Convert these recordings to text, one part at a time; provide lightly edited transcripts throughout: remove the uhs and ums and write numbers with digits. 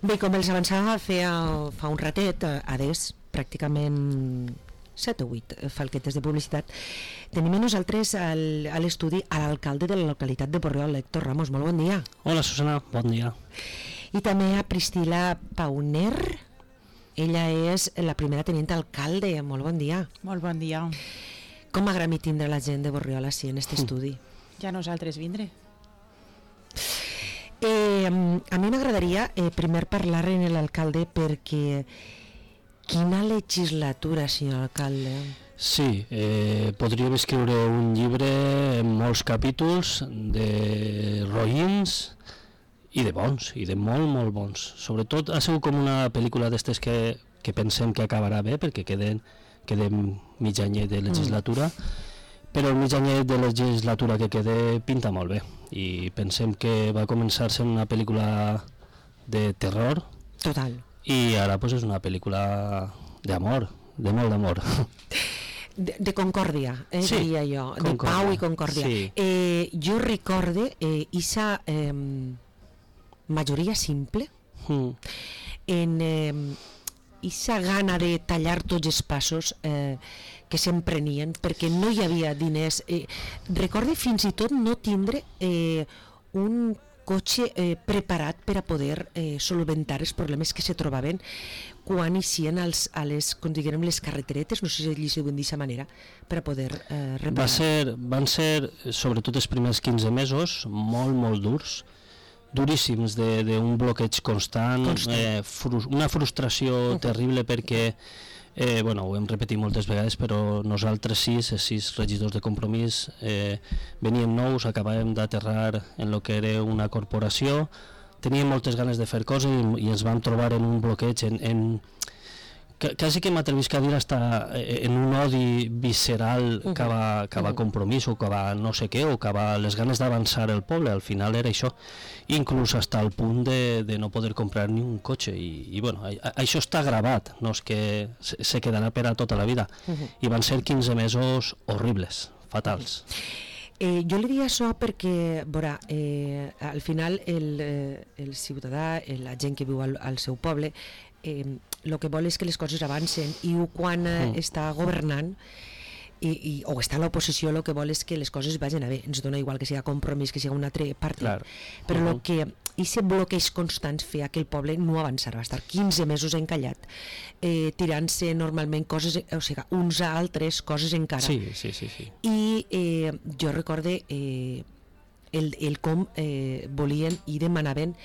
Bé, com els avançava fa un ratet, adés, pràcticament 7 o 8 falquetes de publicitat, tenim nosaltres a l'estudi a l'alcalde de la localitat de Borriol, Héctor Ramos. Molt bon dia. Hola, Susana, bon dia. I també a Priscila Pauner, ella és la primera tenint alcalde. Molt bon dia. Molt bon dia. Com m'agrada tindre la gent de Borriol així en aquest estudi? Ja nosaltres vindré. A mi m'agradaria primer parlar amb l'alcalde perquè quina legislatura, senyor alcalde? Sí, podríem escriure un llibre amb molts capítols de roïns i de bons, i de molt, molt bons. Sobretot ha sigut com una pel·lícula d'estes que pensem que acabarà bé perquè quedem mig anyet de legislatura, però el mig anyet de legislatura que queda pinta molt bé i pensem que va començar sent una pel·lícula de terror. Total. I ara pues, és una pel·lícula d'amor, de molt d'amor. De concòrdia, sí, diria jo, concòrdia. De pau i concòrdia. Sí. Jo recorde aquesta majoria simple en aquesta gana de tallar tots els passos que s'emprenien perquè no hi havia diners. Recorde fins i tot no tindre un cotxe preparat per a poder solventar els problemes que se trobaven quan eixien com diguem, les carreteretes, no sé si li diuen d'aquesta manera, per a poder reparar. Van ser, sobretot els primers 15 mesos, molt, molt durs, duríssims, d'un bloqueig constant. Una frustració terrible perquè ho hem repetit moltes vegades, però nosaltres els 6 regidors de Compromís veníem nous, acabàvem d'aterrar en el que era una corporació, teníem moltes ganes de fer coses i ens vam trobar en un bloqueig, quasi que m'atrevisc a dir hasta en un odi visceral cap a Compromís o cap a no sé què, o cap a les ganes d'avançar el poble. Al final era això, inclús fins al punt de no poder comprar ni un cotxe i això està gravat, no és que se quedarà per a tota la vida, i van ser 15 mesos horribles, fatals. Jo li diria això perquè al final el ciutadà, la gent que viu al seu poble, el que vol és que les coses avancen, i quan està governant o està a l'oposició, el que vol és que les coses vagin bé. Ens dona igual que sigui Compromís, que sigui un altre partit, però el que aquest bloqueig constant feia que el poble no avançarà, va estar 15 mesos encallat, tirant-se normalment coses, o sigui, uns a altres coses encara. Sí. I jo recorde el com volien i demanaven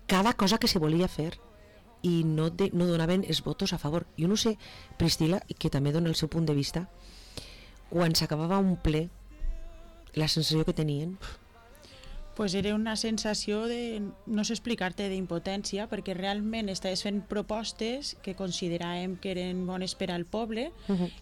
cada cosa que se volia fer i no donaven els votos a favor. Jo no sé, Priscila, que també dona el seu punt de vista, quan s'acabava un ple, la sensació que tenien... Pues era una sensació de, no sé explicar-te, d'impotència, perquè realment estaves fent propostes que consideràvem que eren bones per al poble,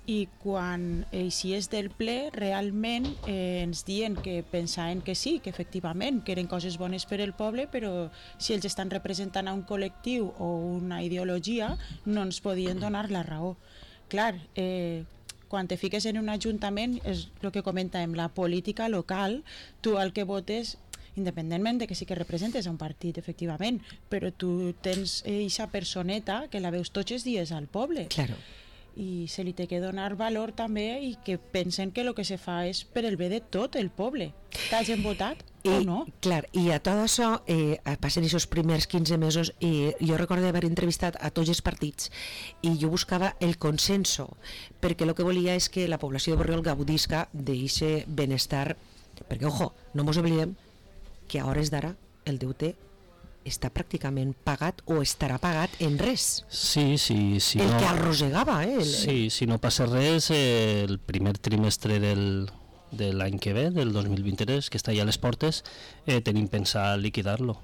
i quan eixies del ple realment ens diuen que pensaven que sí, que efectivament que eren coses bones per al poble, però si ells estan representant a un col·lectiu o una ideologia no ens podien donar la raó. Clar, quan te fiques en un ajuntament, és el que comentàvem, la política local, tu el que votes, independentment de que sí que representes a un partit, efectivament, però tu tens eixa personeta que la veus tots els dies al poble. Claro. I se li té que donar valor també, i que pensen que el que se fa és per el bé de tot el poble. T'hagin votat o no? Clar, i a tot això passen aquests primers 15 mesos i jo recordo haver entrevistat a tots els partits i jo buscava el consenso, perquè el que volia és que la població de Borriol gaudisca d'aquest benestar, perquè, ojo, no mos oblidem que a hores d'ara el deute està pràcticament pagat o estarà pagat en res. Sí. El que arrossegava, Sí, si no passa res, el primer trimestre de l'any que ve, del 2023, que està ja a les portes, tenim pensat liquidar-lo.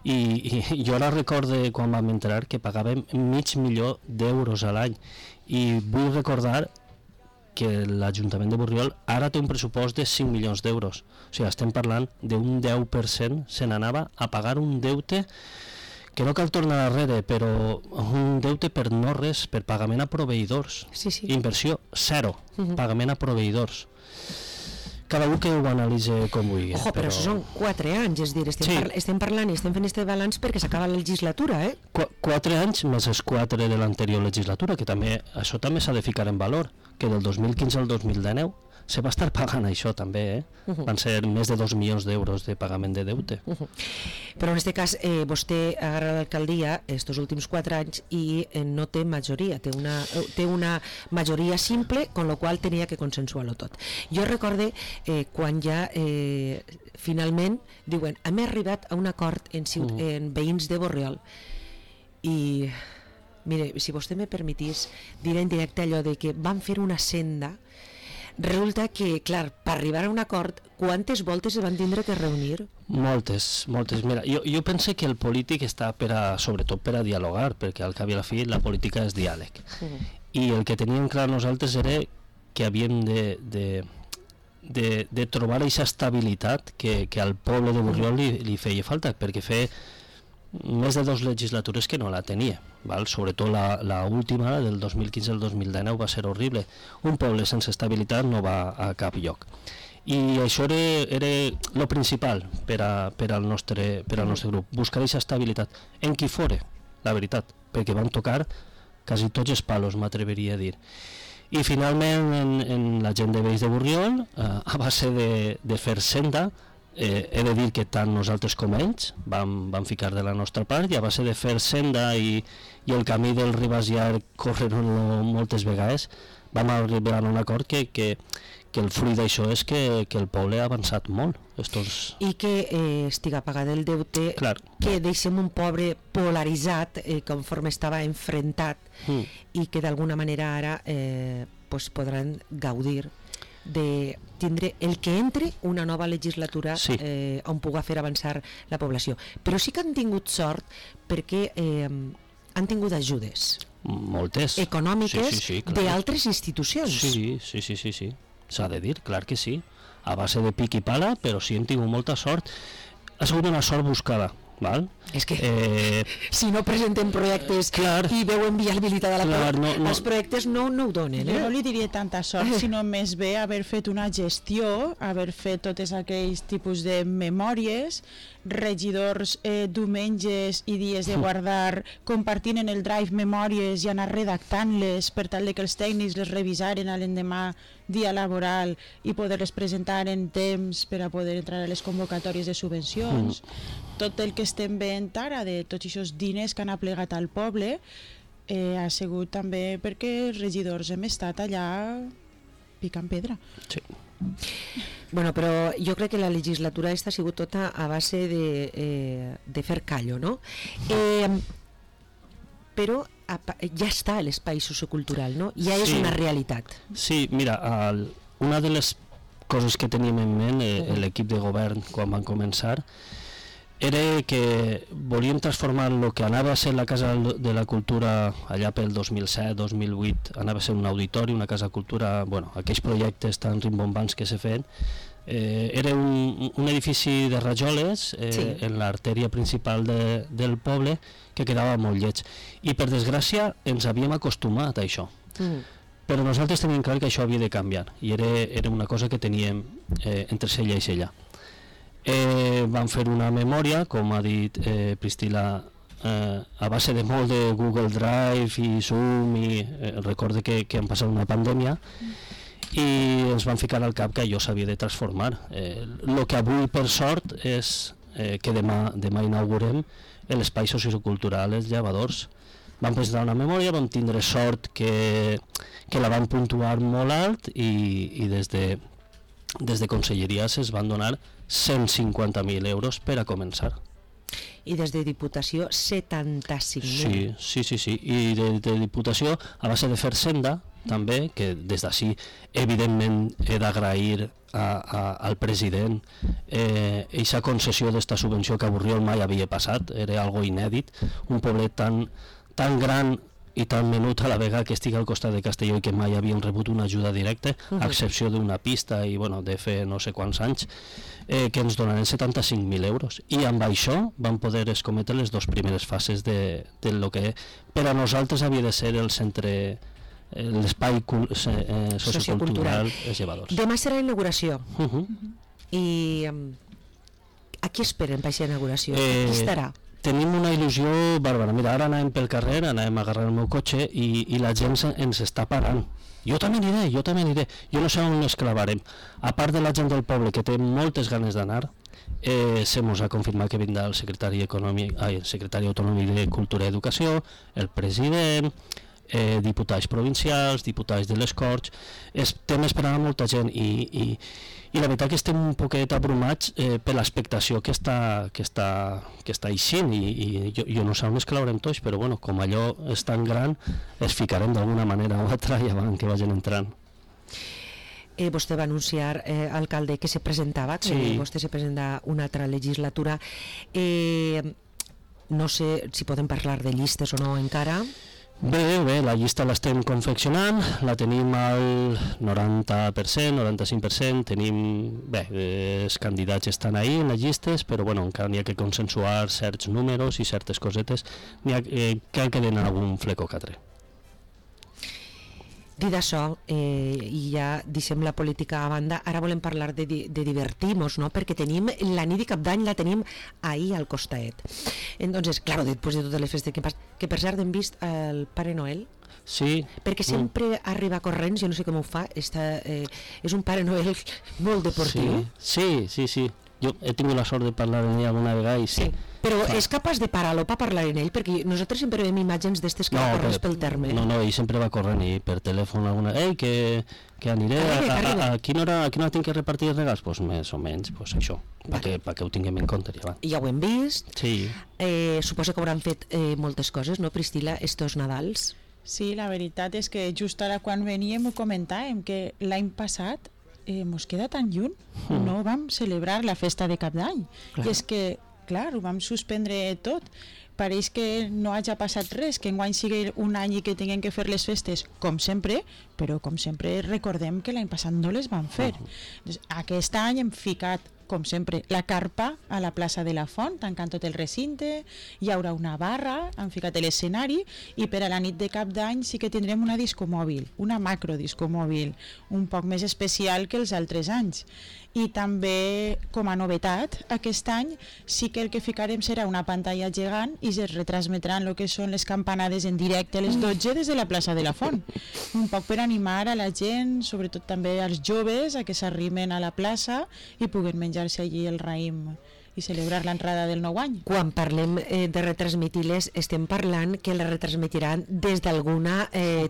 I jo ara recorde quan vam entrar que pagàvem $500,000 a l'any, i vull recordar que l'Ajuntament de Borriol ara té un pressupost de 5 milions d'euros. O sigui, estem parlant d'un 10%, se n'anava a pagar un deute que no cal tornar darrere, però un deute per no res, per pagament a proveïdors. Sí. Inversió, 0, pagament a proveïdors. cada un que ho analitzi com vulgui. Ojo, però això són 4 anys, és dir, estem parlant i estem fent este balanç perquè s'acaba la legislatura, 4 anys més els 4 de l'anterior legislatura, que també això també s'ha de ficar en valor, que del 2015 al 2019 se va estar pagant això també, van ser més de 2 milions d'euros de pagament de deute. Però en aquest cas vostè agarra l'alcaldia estos últims 4 anys i no té majoria, té una majoria simple, con lo qual tenia que consensuar-lo tot. Jo recorde quan ja finalment diuen hem arribat a un acord en veïns de Borriol i mire, si vostè me permetís dir en directe allò de que van fer una senda. Resulta que, clar, per arribar a un acord, quantes voltes es van tindre que reunir? Moltes. Mira, jo penso que el polític està sobretot per a dialogar, perquè al cap i a la fi la política és diàleg. I el que teníem clar nosaltres era que havíem de trobar aquesta estabilitat que al poble de Borriol li feia falta, perquè feia més de 2 legislatures que no la tenia, val? Sobretot la última, del 2015 al 2019, va ser horrible. Un poble sense estabilitat no va a cap lloc. I això era el principal per al nostre grup, buscar aquesta estabilitat, en qui fora, la veritat, perquè van tocar quasi tots els palos, m'atreveria a dir. I finalment en la gent de Veïns de Borriol, a base de fer senda, he de dir que tant nosaltres com ells vam ficar de la nostra part i a base de fer senda i el camí del Ribàs Llarg corrent-lo moltes vegades vam arribar a un acord que el fruit d'això és que el poble ha avançat molt. I que estiga pagat el deute, clar. Que deixem un poble polaritzat conforme estava enfrontat i que d'alguna manera ara podran gaudir de tindre el que entre una nova legislatura on puga fer avançar la població. Però sí que han tingut sort perquè han tingut ajudes moltes econòmiques d'altres institucions. Sí, s'ha de dir, clar que sí, a base de pic i pala, però sí hem tingut molta sort. Ha sigut una sort buscada, val? És que si no presenten projectes i veuen viabilitat a la els projectes no ho donen. Jo no li diria tanta sort, sinó més bé haver fet una gestió, haver fet tots aquells tipus de memòries, regidors diumenges i dies de guardar compartint en el drive memòries i anar redactant-les per tal que els tècnics les revisaren a l'endemà dia laboral i poder-les presentar en temps per a poder entrar a les convocatòries de subvencions. Tot el que estem veient ara de tots aquests diners que han aplegat al poble ha sigut també perquè els regidors hem estat allà picant pedra. Sí. Bueno, però jo crec que la legislatura aquesta ha sigut tota a base de fer callo, no? Però ja està l'espai sociocultural, no? Ja és una realitat. Sí, mira, una de les coses que teníem en ment l'equip de govern quan van començar era que volíem transformar el que anava a ser la Casa de la Cultura allà pel 2007-2008, anava a ser un auditori, una Casa de Cultura, bueno, aquells projectes tan rimbombants que s'ha fet. Era un edifici de rajoles en l'artèria principal del poble que quedava molt lleig. I per desgràcia ens havíem acostumat a això. Però nosaltres teníem clar que això havia de canviar i era una cosa que teníem entre cella i cella. Vam fer una memòria, com ha dit Priscila, a base de molt de Google Drive i Zoom i recorde que han passat una pandèmia i ens van ficar al cap que allò s'havia de transformar. El que avui per sort és que demà inaugurem l'espai sociocultural Els Llevadors. Vam presentar una memòria, vam tindre sort que la van puntuar molt alt i des de conselleria es van donar 150.000 euros per a començar. I des de Diputació 75.000. Sí. I de Diputació, a base de fer senda, també, que des d'ací evidentment he d'agrair al president aquesta concessió d'esta subvenció que a Borriol mai havia passat, era algo inèdit, un poblet tan gran i tan menut a la vegada que estigui al costat de Castelló i que mai havien rebut una ajuda directa, a excepció d'una pista i de fer no sé quants anys, que ens donaran 75.000 euros. I amb això vam poder escometre les 2 primeres fases de lo que per a nosaltres havia de ser el centre l'espai sociocultural és llevadors. Demà serà inauguració. I a qui esperen per aquesta inauguració? Qui estarà? Tenim una il·lusió bàrbara. Mira, ara anàvem pel carrer, anàvem a agarrar el meu cotxe i la gent ens està parant. Jo també aniré. Jo no sé on ens clavarem. A part de la gent del poble, que té moltes ganes d'anar, se mos ha confirmat que vindrà el secretari autonòmic de Cultura i Educació, el president, diputats provincials, diputats de les Corts. Estem esperant a molta gent i la veritat que estem un poquet abrumats per l'expectació que està eixint i jo no sé on es claurem tots, però bueno, com allò és tan gran, es ficarem d'alguna manera o altra i abans que vagin entrant. Vostè va anunciar, alcalde, que se presentava, que vostè se presenta una altra legislatura. No sé si podem parlar de llistes o no encara. Bé, la llista l'estem confeccionant, la tenim al 90%, 95%, tenim... Bé, els candidats estan ahí en les llistes, però bueno, encara n'hi ha que consensuar certs números i certes cosetes, cal que den algun fleco que altre. Dit això, i ja deixem la política a banda, ara volem parlar de divertir-nos, no? Perquè tenim la nit de Cap d'Any, la tenim ahir al costat. Entonces, claro, després de totes les festes que per cert hem vist el Pare Noel, sí, perquè sempre arriba corrents, jo no sé com ho fa, és un Pare Noel molt deportiu. Sí. Jo he tingut la sort de parlar amb ell alguna vegada i sí. Però és capaç de parar-lo per parlar amb ell? Perquè nosaltres sempre veiem imatges d'estes que corres pel terme. No, ell sempre va corrent i per telèfon alguna... Ei, que aniré, a quina hora tinc que repartir els regals? Doncs més o menys, això, perquè ho tinguem en compte. Ja ho hem vist. Sí. Suposo que hauran fet moltes coses, no, Priscila, estos Nadals? Sí, la veritat és que just ara quan veníem ho comentàvem, que l'any passat mos queda tan lluny, no vam celebrar la festa de Cap d'Any. I és que, clar, ho vam suspendre tot. Pareix que no hagi passat res, que enguany sigui un any i que tinguem que fer les festes com sempre, però com sempre recordem que l'any passat no les vam fer. Aquest any hem ficat, com sempre, la carpa a la plaça de la Font, tancant tot el recinte, hi haurà una barra, han ficat l'escenari, i per a la nit de Cap d'Any sí que tindrem una discomòbil, una macrodiscomòbil, un poc més especial que els altres anys. I també, com a novetat, aquest any sí que el que ficarem serà una pantalla gegant i es retransmetran el que són les campanades en directe a les 12 des de la plaça de la Font. Un poc per animar a la gent, sobretot també als joves, a que s'arrimen a la plaça i puguen menjar-se allí el raïm i celebrar l'entrada del nou any. Quan parlem de retransmitir-les, estem parlant que les retransmetiran des d'alguna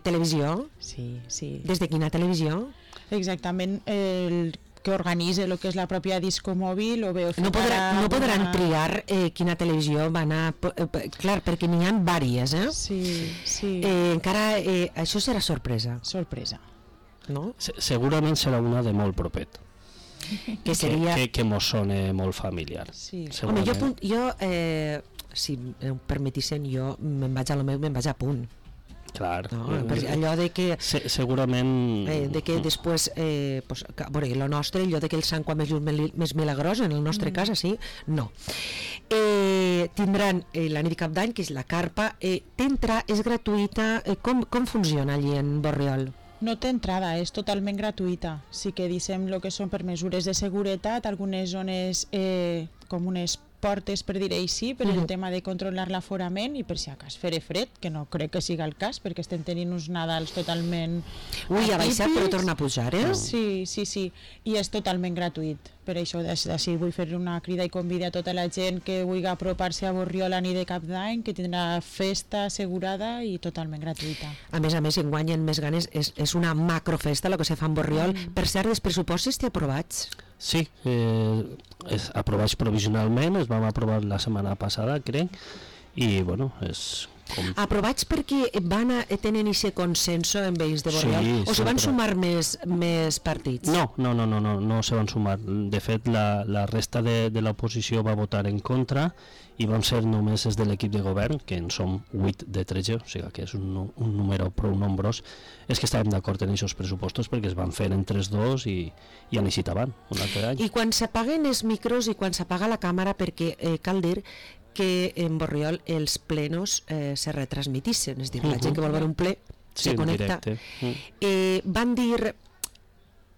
televisió? Sí. Des de quina televisió? Exactament, el que organitza el que és la pròpia discomòbil o bé... No podran triar quina televisió van a... Clar, perquè n'hi ha diverses, Sí. Encara això serà sorpresa. Sorpresa. No? Segurament serà una de molt propet. Que seria... Que mos sona molt familiar. Sí. Home, jo si em permetissin, jo me'n vaig a lo meu, me'n vaig a punt. Clar. No, allò de que... Segurament... de que després... veure, el nostre, allò de que el Sant Quan més milagrós, en el nostre cas, sí, no. Tindran la nit de Cap d'Any, que és la carpa. T'entra, és gratuïta. Com funciona allí en Borriol? No té entrada, és totalment gratuïta. Sí que dissem el que són per mesures de seguretat, algunes zones com unes portes, per dir-ho així, per el tema de controlar l'aforament i per si acas fer fred, que no crec que siga el cas, perquè estem tenint uns Nadals totalment Ui, ha baixat però torna a pujar, Sí, i és totalment gratuït. Per això d'ací vull fer una crida i convidar a tota la gent que vulgui apropar-se a Borriol a nit de Cap d'Any, que tindrà festa assegurada i totalment gratuïta. A més, enguany en més ganes és una macrofesta el que se fa en Borriol. Per cert, els pressupostos t'hi aprovats? Sí, aprovats provisionalment, es vam aprovar la setmana passada, crec, i bueno, és... Aprovats perquè tenen aquest consenso en ells de Borriol, o se van sumar més partits? No se van sumar. De fet, la resta de l'oposició va votar en contra i van ser només des de l'equip de govern, que en som 8 de 13, o sigui que és un número prou nombrós. És que estàvem d'acord en aquests pressupostos perquè es van fer en 3-2 i han eixit avant un altre any. I quan s'apaguen els micros i quan s'apaga la càmera, perquè cal dir que en Borriol els plenos se retransmitissin, és a dir, la gent que vol veure un ple se connecta. Van dir,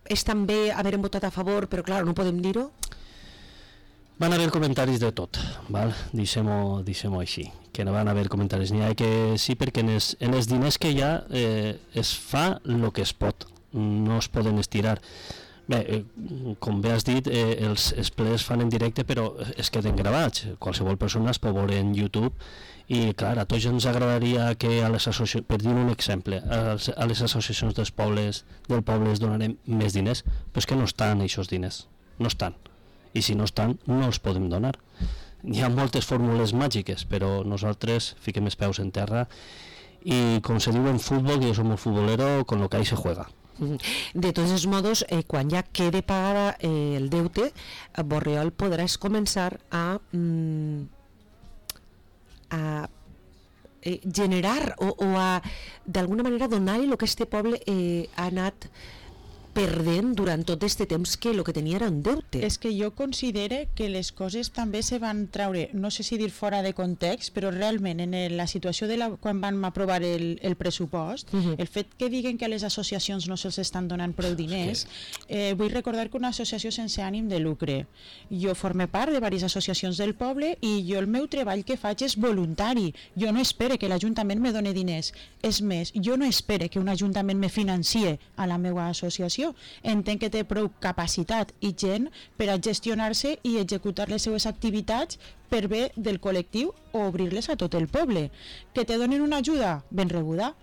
és també haver votat a favor, però clar, no podem dir-ho? Van haver comentaris de tot, val? Deixem-ho així, que no van haver comentaris. N'hi ha que sí, perquè en els diners que hi ha es fa el que es pot, no es poden estirar. Bé, com bé has dit, els plens es fan en directe, però es queden gravats. Qualsevol persona es pot veure en YouTube i, clar, a tots ens agradaria que a les associacions, per dir un exemple, a les associacions del poble es donarem més diners, però és que no estan aquests diners, no estan. I si no estan, no els podem donar. Hi ha moltes fórmules màgiques, però nosaltres fiquem els peus en terra i, com se diu en futbol, que jo som un futbolero, con lo que ahí se juega. De tots els modos, quan ja quede pagada el deute, Borriol podràs començar a generar o a d'alguna manera donar-li el que este poble ha anat perdent durant tot aquest temps, que el que tenia era un deute. És que jo considere que les coses també se van treure, no sé si dir fora de context, però realment en la situació quan van aprovar el pressupost, el fet que diguen que a les associacions no se'ls estan donant prou diners, vull recordar que una associació sense ànim de lucre. Jo forme part de diverses associacions del poble i jo el meu treball que faig és voluntari. Jo no espere que l'Ajuntament me doni diners. És més, jo no espere que un Ajuntament me financie a la meva associació. Entenc que té prou capacitat i gent per a gestionar-se i executar les seues activitats per bé del col·lectiu o obrir-les a tot el poble. Que te donin una ajuda ben rebuda,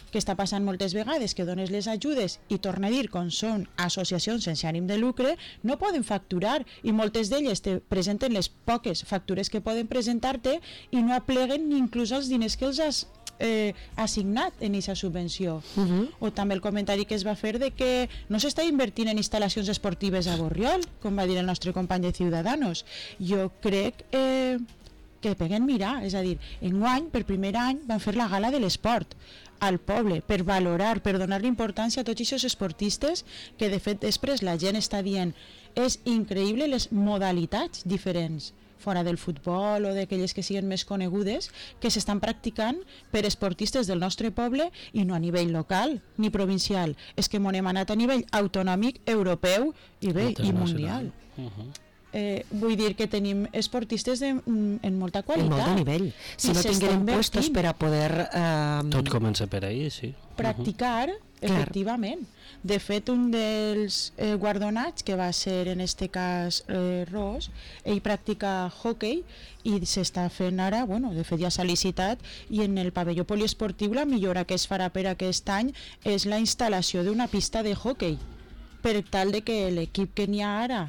que està passant moltes vegades, que dones les ajudes i torna a dir, com són associacions sense ànim de lucre, no poden facturar i moltes d'elles te presenten les poques factures que poden presentar-te i no apleguen ni inclús els diners que els has assignat en aquesta subvenció. O també el comentari que es va fer de que no s'està invertint en instal·lacions esportives a Borriol, com va dir el nostre company de Ciudadanos. Jo crec que peguen mirar, és a dir, enguany, per primer any, van fer la gala de l'esport al poble, per valorar, per donar importància a tots aquests esportistes que de fet després la gent està dient és increïble les modalitats diferents fora del futbol o d'aquelles que siguin més conegudes, que s'estan practicant per esportistes del nostre poble i no a nivell local ni provincial. És que m'on hem anat a nivell autonòmic, europeu i bé, i mundial. Vull dir que tenim esportistes en molta qualitat. En molt nivell. Si no tinguem puestos per a poder... Tot comença per ahí, sí. Practicar, efectivament. De fet, un dels guardonats, que va ser en este cas Ros, ell practica hockey i s'està fent ara, bueno, de fet ja s'ha licitat, i en el pavelló poliesportiu la millora que es farà per aquest any és la instal·lació d'una pista de hockey, per tal de que l'equip que n'hi ha ara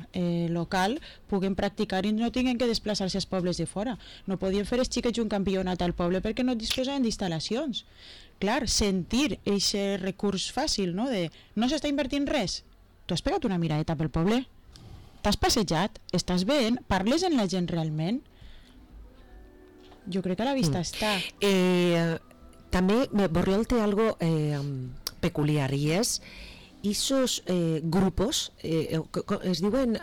local puguen practicar i no tinguin que desplaçar-se als pobles de fora. No podien fer els xiquets un campionat al poble perquè no disposaven d'instal·lacions. Clar, sentir aquest recurs fàcil, no? De no s'està invertint res. Tu has pegat una miradeta pel poble? T'has passejat? Estàs veient? Parles amb la gent realment? Jo crec que a la vista està. També Borriol té algo peculiar i és esos grupos, es diuen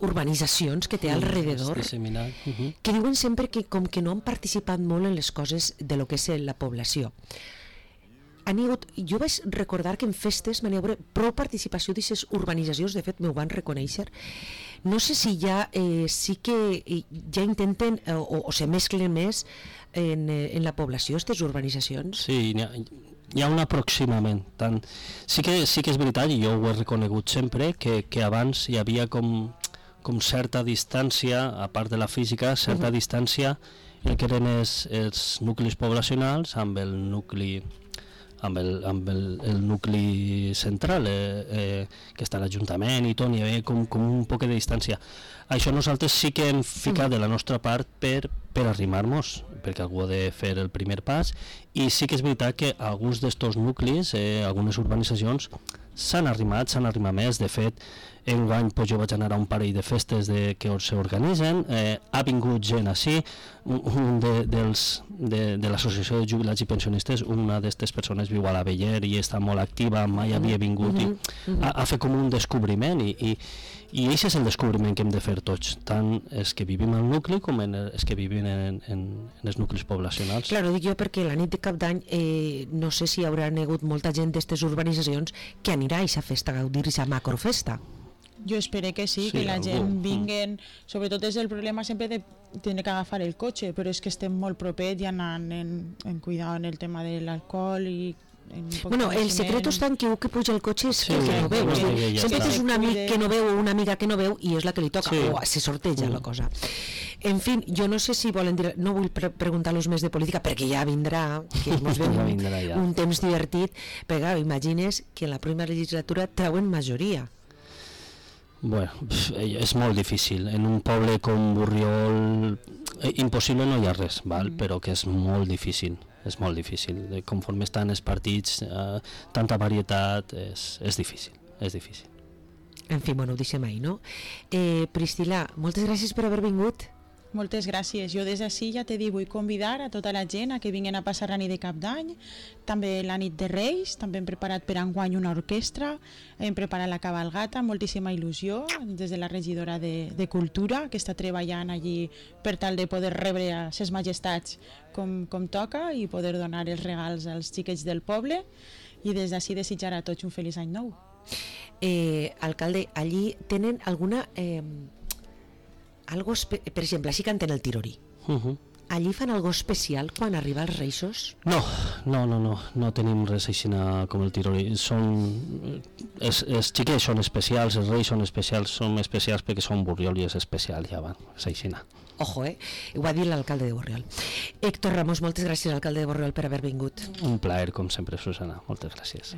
urbanitzacions que té alrededor, que diuen sempre que com que no han participat molt en les coses de lo que és la població. Jo vaig recordar que en festes n'hi ha prou participació d'aquestes urbanitzacions, de fet m'ho van reconèixer. No sé si ja sí que ja intenten o se mesclen més en la població, aquestes urbanitzacions. Sí, hi ha un aproximament. Sí que és veritat, i jo ho he reconegut sempre, que abans hi havia com certa distància, a part de la física, certa distància en què eren els nuclis poblacionals amb el nucli central, que està l'Ajuntament i tot, hi havia com un poc de distància. Això nosaltres sí que hem ficat de la nostra part per arrimar-nos, perquè algú ha de fer el primer pas, i sí que és veritat que alguns d'estos nuclis, algunes urbanitzacions, s'han arrimat més. De fet, enguany pues, jo vaig anar a un parell de festes que s'organitzen, ha vingut gent així, un de l'associació de jubilats i pensionistes, una d'aquestes persones viu a l'Aveller i està molt activa, mai havia vingut i ha fet com un descobriment i això és el descobriment que hem de fer tots, tant els que vivim al nucli com els que vivim en els nuclis poblacionals. Claro, dic jo perquè la nit de Cap d'Any no sé si hi haurà hagut molta gent d'aquestes urbanitzacions que anirà a aquesta festa, a gaudir aquesta macrofesta. Jo espero que sí, que la gent vinguen, sobretot és el problema sempre de tenir que agafar el cotxe, però és que estem molt propets i anant en cuidar en el tema de l'alcohol i bueno, el secret està en que un que puja el cotxe és que no veu, sempre és un amic que no veu o una amiga que no veu i és la que li toca, o se sorteja la cosa. En fi, jo no sé si volen dir, no vull preguntar-los més de política perquè ja vindrà, que ens ve un temps divertit, però imagines que en la primera legislatura treuen majoria. Bueno, és molt difícil. En un poble com Borriol impossible no hi ha res, val? Però que és molt difícil. És molt difícil. Conforme estan els partits, tanta varietat, és difícil. És difícil. En fi, bueno, ho deixem ahí, no? Priscila, moltes gràcies per haver vingut. Moltes gràcies. Jo des d'ací ja t'he dit, vull convidar a tota la gent a que vinguin a passar la nit de Cap d'Any, també la nit de Reis, també hem preparat per enguany una orquestra, hem preparat la cabalgata, moltíssima il·lusió, des de la regidora de Cultura, que està treballant allí per tal de poder rebre a ses majestats com toca i poder donar els regals als xiquets del poble, i des d'ací desitjar a tots un feliç any nou. Alcalde, allí tenen alguna... per exemple, així canten el tirorí. Allí fan algo especial quan arriba els Reixos? No tenim res així com el tirorí. Els xiquets són especials, els Reis són especials perquè són Borriol i és especial, ja va, és així. Ojo, ho va dir l'alcalde de Borriol. Héctor Ramos, moltes gràcies, alcalde de Borriol, per haver vingut. Un plaer, com sempre, Susana. Moltes gràcies.